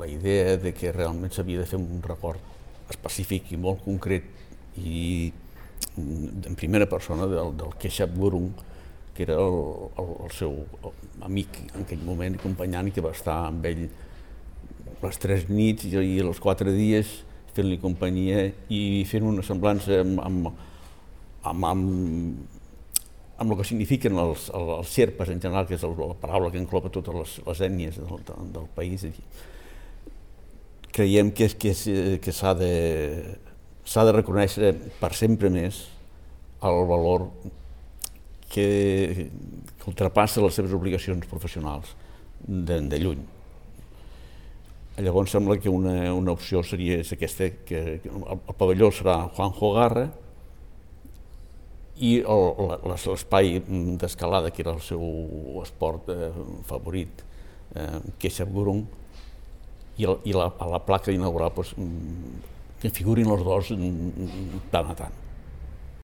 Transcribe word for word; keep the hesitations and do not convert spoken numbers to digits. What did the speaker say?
idea de que realment s'havia de fer un record específic i molt concret i en primera persona del, del Keshab Gurung, que era el, el, el seu amic en aquell moment i companyant, i que va estar amb ell les tres nits i els quatre dies fent-li companyia i fent una semblança amb, amb, amb, amb, amb el que signifiquen els, els Sherpas en general, que és la paraula que engloba totes les, les ètnies del, del país. Creiem que, que, que s'ha de, s'ha de reconèixer per sempre més el valor que, que ultrapassa les seves obligacions professionals de, de lluny. Llavors sembla que una, una opció seria aquesta, que el, el pavelló serà Juanjo Garra i l'espai d'escalada, que era el seu esport eh, favorit, eh, Keshab Gurung, i, el, i la, a la placa inaugural pues, que figurin els dos tant a tant.